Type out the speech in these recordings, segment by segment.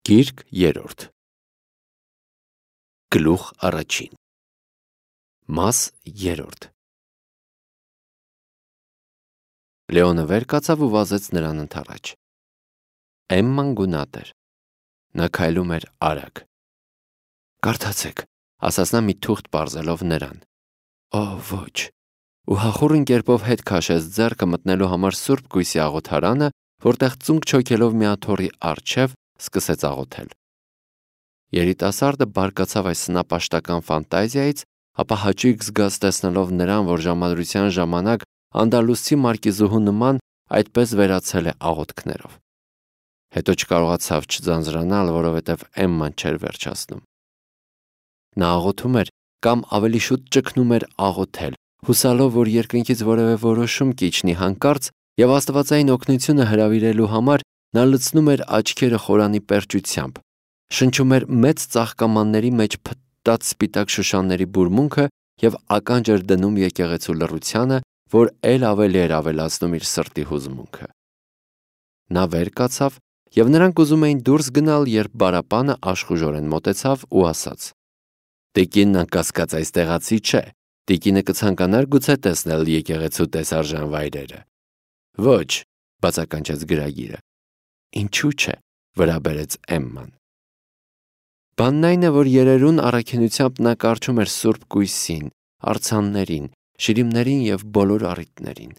Գիրք 3 Գլուխ առաջին Մաս 3 Լեոնը վեր կացավ ու վազեց նրան ընդառաջ։ Էմման գունատ էր։ Նա քայլում էր արագ։ Կարդացեք, ասաց նա մի թուղթ պարզելով նրան։ Օ, ոչ։ Ու հախուռն կերպով հետ քաշեց ձեռքը մտնելու համար Սուրբ Գույսի աղոթարանը, որտեղ ծունկ չոքելով մի աթոռի առջև սկսեց աղոթել։ Երիտասարդը բարկացավ այս սնապաշտական ֆանտազիայից, ապա հաճույք զգաց տեսնելով նրան, որ ժամադրության ժամանակ անդալուսցի մարկիզուհու նման այդպես վերացել է աղոթքներով։ Հետո չկարողացավ չձանձրանալ, որովհետև Էմման չէր վերջացնում։ Նա աղոթում էր կամ ավելի շուտ ճգնում էր աղոթել, հուսալով, որ երկնքից որևէ որոշում կիջնի հանկարծ, եւ աստվածային օգնությունը հրավիրելու համար նա լցնում էր աչքերը խորանի պերճությամբ, շնչում էր մեծ ծաղկամանների մեջ փտտած սպիտակ շուշանների բուրմունքը եւ ականջ էր դնում եկեղեցու լռությանը, որ ել ավելի էր ավելացնում իր սրտի հուզմունքը։ Նա վեր կացավ եւ նրանք ուզում էին դուրս գնալ, երբ Բարապանը աշխուժորեն մոտեցավ ու ասաց. Տիկինն անկասկած այս տեղացի չէ, տիկինը կցանկանար գուցե տեսնել եկեղեցու տեսարժան վայրերը։ Ոչ, բացականչեց գրագիրը։ Ինչու՞ չէ, վրա բերեց Էմման։ Բանն այն է, որ երերուն առաքինությամբ նա կարդում էր Սուրբ Գույսին, արձաններին, շիրիմներին եւ բոլոր առիթներին։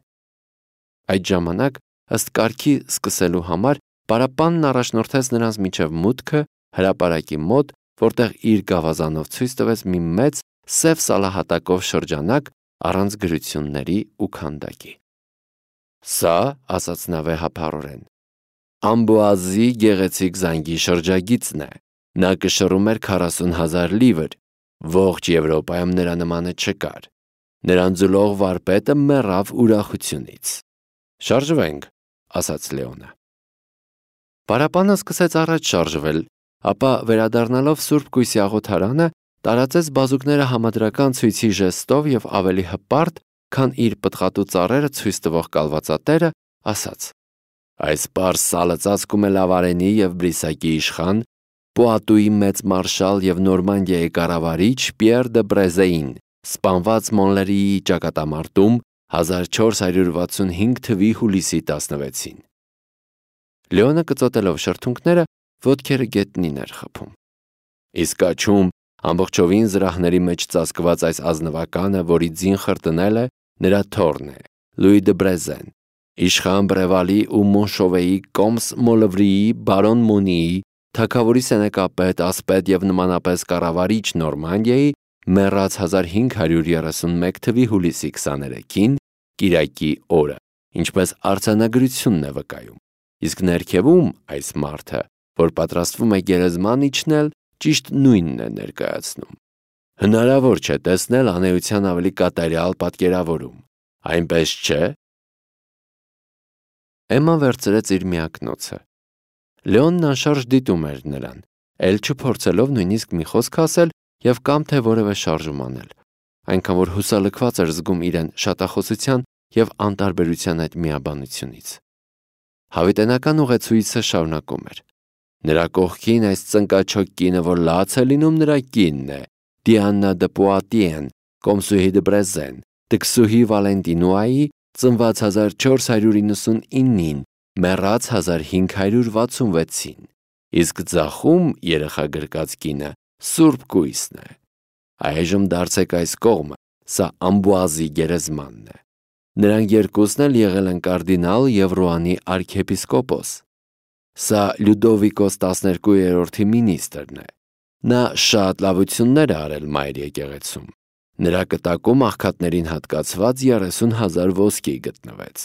Այդ ժամանակ, ըստ կարգի սկսելու համար, Բարապանն առաջնորդեց նրանց միջև մուտքը հրապարակի մոտ, որտեղ իր գավազանով ցույց տվեց մի մեծ սև սալահատակով շրջանակ առանց գրությունների ու քանդակի։ Սա, ասաց նա վեհափառորեն, Ամբուազի գեղեցիկ զանգի շրջագիծն է։ Նա կշռում էր 40,000 լիվր, ողջ Եվրոպայում նրա նմանը չկար։ Նրան ձուլող վարպետը մեռավ ուրախությունից։ Շարժվենք, ասաց Լեոնը։ Բարապանը սկսեց առաջ շարժվել, ապա վերադառնալով Սուրբ Գույսի աղոթարանը, տարածեց բազուկները համադրական ցույցի ժեստով եւ ավելի հպարտ, քան իր պտղատու ծառերը ցույց տվող կալվածատերը, ասաց. Այս պարզ սալը ծածկում է Լավարենի եւ Բրիսակի իշխան, Պուատուի մեծ մարշալ եւ Նորմանդիայի կառավարիչ Պիեր դը Բրեզեին, սպանված Մոնլերիի ճակատամարտում 1465 թվականի հուլիսի 16-ին։ Լեոնը կծոտելով շրթունքները, ոտքերը գետնին էր խփում։ Իսկ աչում ամբողջովին զրահների մեջ ծածկված այս ազնվականը, որի ձին խրտնել է, նրա թոռն է, Լուի դը Բրեզեն, իշխան Բրևալի ու Մոնշովեի կոմս Մոլվրիի, բարոն Մոնիի, թագավորի սենեկապետ, ասպետ եւ նմանապես կառավարիչ Նորմանդիայի, մեռած 1531 թվականի հուլիսի 23-ին, կիրակի օրը, ինչպես արձանագրությունն է վկայում։ Իսկ ներքևում այս մարդը, որ պատրաստվում է գերեզման իջնել, ճիշտ նույնն է ներկայացնում։ Հնարավոր չէ տեսնել անեության ավելի կատարյալ պատկերավորում, այնպես չէ։ Էմման վերցրեց իր միակնոցը։ Լեոնն անշարժ դիտում էր նրան, ել չփորձելով նույնիսկ մի խոսք ասել եւ կամ թե որևէ շարժում անել, այնքան որ հուսալքված էր զգում իրեն շատախոսության եւ անտարբերության այդ միաբանությունից։ Հավիտենական ուղեցույցը շարունակում էր. Նրա կողքին այս ծնկաչոք կինը, որ լաց է լինում, նրա կինն է, Դիաննա դը Պուատիեն, Կոմսուհի դը Բրեզեն, Տքսուհի Վալենտինուայի, ծնված 1499-ին, մեռած 1566-ին, իսկ ձախում երեխա գրկած կինը Սուրբ Գույսն է։ Այժմ դարձեք այս կողմը, սա Ամբուազի գերեզմանն է։ Նրանք երկուսն էլ եղել են կարդինալ եւ Ռուանի արքեպիսկոպոս։ Սա Լյուդովիկոս 12-րդի մինիստրն է։ Նա շատ լավություններ է արել մայր եկեղեցում։ Նրա կտակում աղքատներին հատկացված 30,000 ոսկի գտնվեց։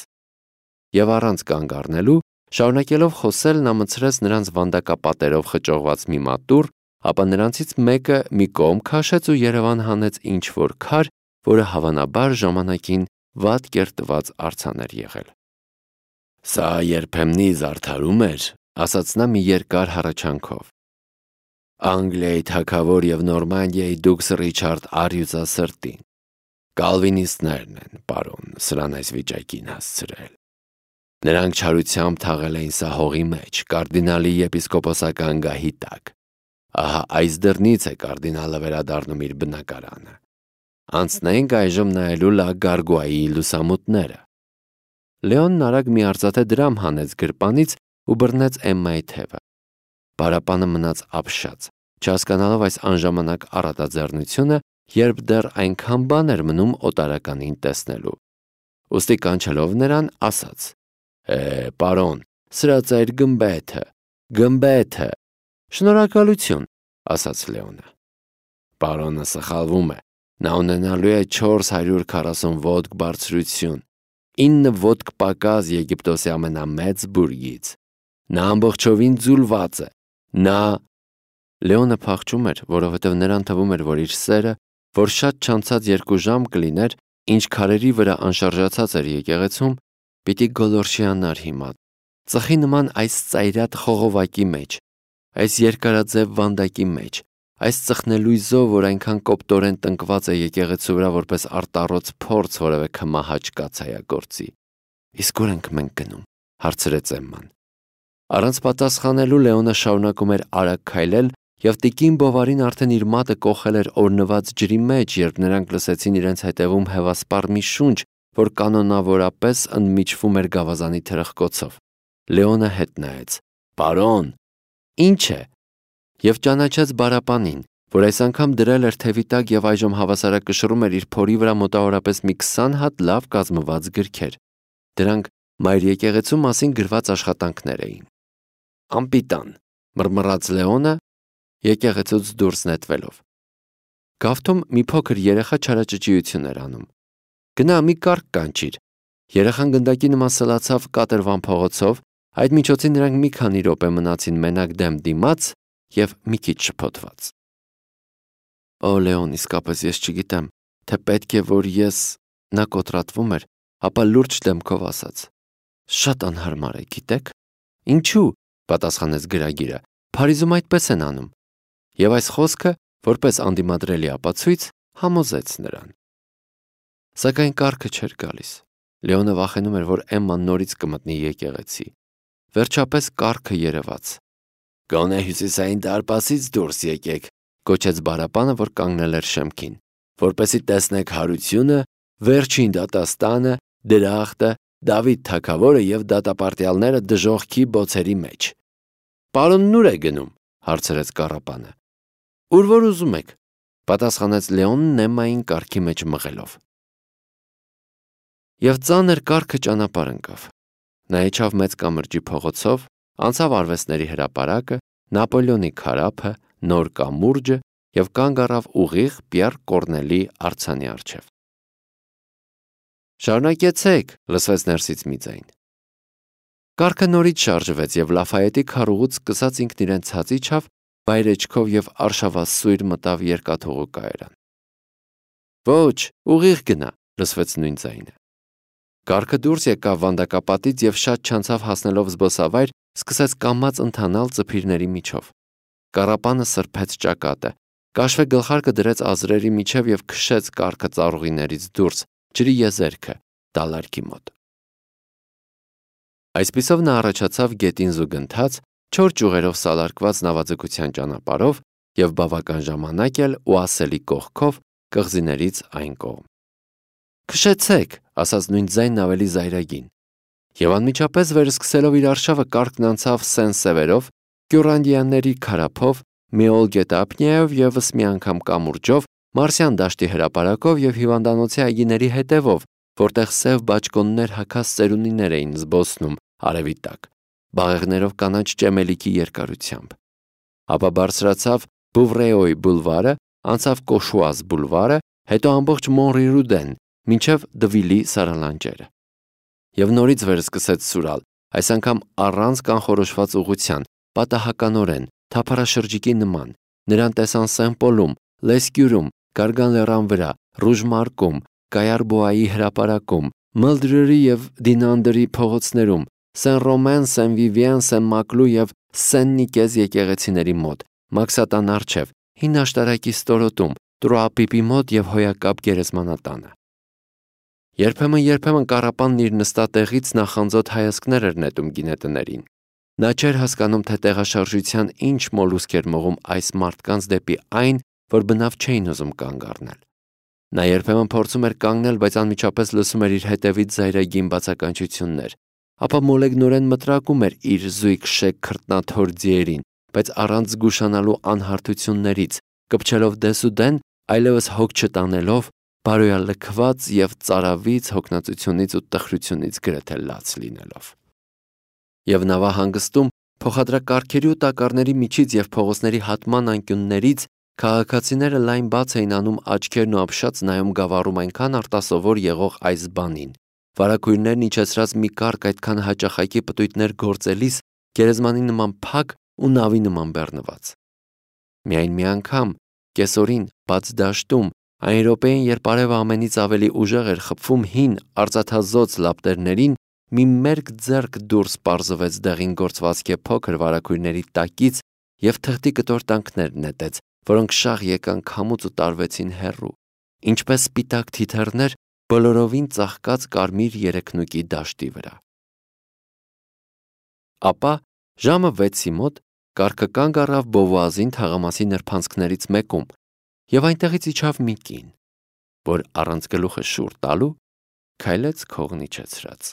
Եվ առանց կանգ առնելու, շարունակելով խոսել, նա մցրեց նրանց վանդակապատերով խճողված մի մատուռ, ապա նրանցից մեկը մի կողմ քաշեց ու Երևան հանեց ինչ-որ քար, որը հավանաբար ժամանակին վատ կերտված արձան էր եղել։ Սա երբեմնի զարդարում էր, ասաց նա մի երկար հառաչանքով։ Անգլիայի թագավոր եւ Նորմանդիայի դուքս Ռիչարդ Արյուծասրտին։ Կալվինիստներն են, պարոն, սրան այս վիճակին հասցրել։ Նրանք չարությամբ թաղել էին սա հողի մեջ, կարդինալի եպիսկոպոսական գահի տակ։ Ահա այս դռնից է կարդինալը վերադառնում իր բնակարանը։ Անցնենք այժմ նայելու Լա Գարգուայի լուսամուտները։ Լեոնն արագ մի արծաթե դրամ հանեց գրպանից ու բռնեց Էմմայի թևը։ Բարապանը մնաց ապշած, չհասկանալով այս անժամանակ առատաձեռնությունը, երբ դեռ այնքան բան էր մնում օտարականին տեսնելու։ Ուստի կանչելով նրան, ասաց. պարոն, սրա ծայր գմբեթը։ Շնորհակալություն, ասաց Լեոնը։ Պարոնը սխալվում է, նա ունենալու է 440 ոտք բարձրություն, 9 ոտք պակաս Եգիպտոսի ամենամեծ բուրգից։ Նա ամբողջովին ձուլված է, Լեոնը փախչում էր, որովհետև նրան թվում էր, որ իր սերը, որ շատ չանցած 2 ժամ կլիներ, ինչ քարերի վրա անշարժացած էր եկեղեցում, պիտի գոլորշիանար հիմա, ծխի նման այս ծայրատ խողովակի մեջ, այս երկարաձև վանդակի մեջ, այս ծխնելույզով, որ այնքան կոպտորեն տնկված է եկեղեցու վրա որպես արտառոց փորձ որևէ քմահաճ կացայագործի։ Իսկ ուր ենք մենք գնում, հարցրեց Էմման։ Առանց պատասխանելու Լեոնը շարունակում էր արագ քայլել, և տիկին Բովարին արդեն իր մատը կոխել էր օրնված ջրի մեջ, երբ նրանք լսեցին իրենց հետևում հևասպառ մի շունչ, որ կանոնավորապես ընդմիջվում էր գավազանի թրխկոցով։ Լեոնը հետ նայեց. «Պարոն, ի՞նչ է», և ճանաչեց Բարապանին, որ այս անգամ դրել էր թևի տակ և այժմ հավասարակշռում էր իր փորի վրա մոտավորապես մի 20 հատ լավ կազմված գրքեր։ Դրանք մայր եկեղեցու մասին գրված աշխատանքներ էին։ «Անպիտան», մռմռաց Լեոնը, եկեղեցուց դուրս նետվելով։ Գավթում մի փոքր երեխա չարաճճիություն էր անում։ «Գնա մի կառք կանչիր»։ Երեխան գնդակի նման սլացավ կատրվան փողոցով, այդ միջոցին նրանք մի քանի րոպե մնացին մենակ դեմ դիմաց և մի քիչ շփոթված։ «Օ, Լեոն, իսկապես ես չգիտեմ, թե պետք է որ ես…» Նա կոտրատվում էր, ապա լուրջ դեմքով ասաց. «Շատ անհարմար է, գիտեք»։ «Ինչու՞», պատասխանեց գրագիրը, «Փարիզում այդպես են անում»։ Եվ այս խոսքը, որպես անդիմադրելի ապացույց, համոզեց նրան։ Սակայն կառքը չէր գալիս։ Լեոնը վախենում էր, որ Էմման նորից կմտնի եկեղեցի։ Վերջապես կառքը երևաց։ «Գոնե հյուսիսային դարպասից դուրս եկեք», կոչեց Բարապանը, որ կանգնել էր շեմքին, «որպեսզի տեսնեք հարությունը, վերջին դատաստանը, դրախտը, Դավիթ թագավորը և դատապարտյալները դժոխքի բոցերի մեջ»։ «Պարոնն ուր է գնում», հարցրեց կառապանը։ «Ուր որ ուզում եք», պատասխանեց Լեոնն Էմմային կառքի մեջ մղելով։ Եվ ծանր կառքը ճանապարհ ընկավ։ Նա իջավ մեծ կամրջի փողոցով, անցավ Արվեստների հրապարակը, Նապոլեոնի քարափը, Նոր կամուրջը և կանգ առավ ուղիղ Պիեռ Կոռնելի արձանի առջև։ «Շարունակեցեք», լսվեց ներսից մի ձայն։ Կառքը նորից շարժվեց և Լաֆայետի քարուղուց սկսած ինքն իրեն ցած իջավ, վայրէջքով և արշավասույր մտավ երկաթուղու կայարան։ «Ոչ, ուղիղ գնա», լսվեց նույն ձայնը։ Կառքը դուրս եկավ վանդակապատից և շատ չանցավ հասնելով զբոսավայր, սկսեց կամաց ընթանալ ծփիրների միջով։ Կառապանը սրբեց ճակատը, կաշվե գլխարկը դրեց ազրերի միջև և քշեց կառքը ծառուղիներից դուրս, ջրի եզերքը, դալարկի մոտ։ Այսպիսով նա առաջացավ գետին զուգընթաց, 4 ճյուղերով սալարկված նավաձգության ճանապարհով և բավական ժամանակ էլ Օասելի կողքով կղզիներից այն կողմ։ «Քշեցեք», ասաց նույն ձայնն ավելի զայրագին։ Եվ անմիջապես վերսկսելով իր արշավը կառքն անցավ Սեն-Սևերով, Կյուռանդիաների քարափով, Մեոլ գետափնյայով ևս մի անգամ կամուրջով, Մարսյան դաշտի հրապարակով և հիվանդանոցի այգիների հետևով, որտեղ սև բաճկոններ հագած ծերունիներ էին զբոսնում արևի տակ, բաղեղներով կանաչ ճեմելիքի երկարությամբ։ Ապա բարձրացավ Բուվրեոյի բուլվարը, անցավ Կոշուազ բուլվարը, հետո ամբողջ Մոնրի-Ռուդեն, մինչև Դվիլի սարալանջերը։ Եվ նորից վերսկսեց սուրալ, այս անգամ առանց կանխորոշված ուղղության, պատահականորեն, թափառաշրջիկի նման։ Նրան տեսան Սեն-Պոլում, Լեսկյուրում, Գարգան լեռան վրա, Ռուժմարկում, Կայարբոայի հրապարակում, Մլդրերի և Դինանդրի փողոցներում, Սեն-Ռոմեն, Սեն-Վիվիեն, Սեն-Մակլու և Սեն-Նիկեզ եկեղեցիների մոտ, Մաքսատան առջև, Հին աշտարակի ստորոտում, Տրոապիպի մոտ և Հոյակապ գերեզմանատանը։ Երբեմն կառապանն իր նստատեղից նախանձոտ հայացքներ էր նետում գինետներին։ Նա չէր հասկանում, թե տեղաշարժության ինչ մոլուսկ էր մողում այս մարդկանց դեպի այն, որ բնավ չէին ուզում կանգ առնել։ Նա երբեմն փորձում էր կանգնել, բայց անմիջապես լսում էր իր հետևից զայրագին բացականչություններ, ապա մոլեգնորեն մտրակում էր իր զույգ շեկ քրտնաթոր ձիերին, բայց առանց զգուշանալու անհարթություններից, կպչելով դեսուդեն, այլևս հոգ չտանելով, բարոյալքված և ծարավից, հոգնածությունից ու տխրությունից գրեթե լաց լինելով։ Եվ նավահանգստում փոխադրակարգերի ու տակառների միջից և փողոցների հատման անկյուններից քաղաքացիները լայն բաց էին անում աչքերն ու ապշած նայում գավառում այնքան արտասովոր եղող այս բանին, վարագույրներն իջեցրած մի կառք այդքան հաճախակի պտույտներ գործելիս գերեզմանի նման փակ ու նավի նման բեռնված։ Միայն մի անգամ, կեսօրին, բաց դաշտում, այն րոպեին, երբ արևը ամենից ավելի ուժեղ էր խփվում հին արծաթազօծ լապտերներին, մի մերկ ձեռք դուրս պարզվեց դեղին գործվածքի փոքր վարագույրների տակից և թղթի կտորտանքներ նետեց, որոնք շաղ եկան քամուց ու տարվեցին հեռու, ինչպես սպիտակ թիթեռներ բոլորովին ծաղկած կարմիր երեքնուկի դաշտի վրա։ Ապա ժամը 6-ի մոտ կառքը կանգ առավ Բովուազին թաղամասի նրբանցքներից մեկում, և այնտեղից իջավ մի կին, որ առանց գլուխը շուռ տալու քայլեց քողն իջեցրած։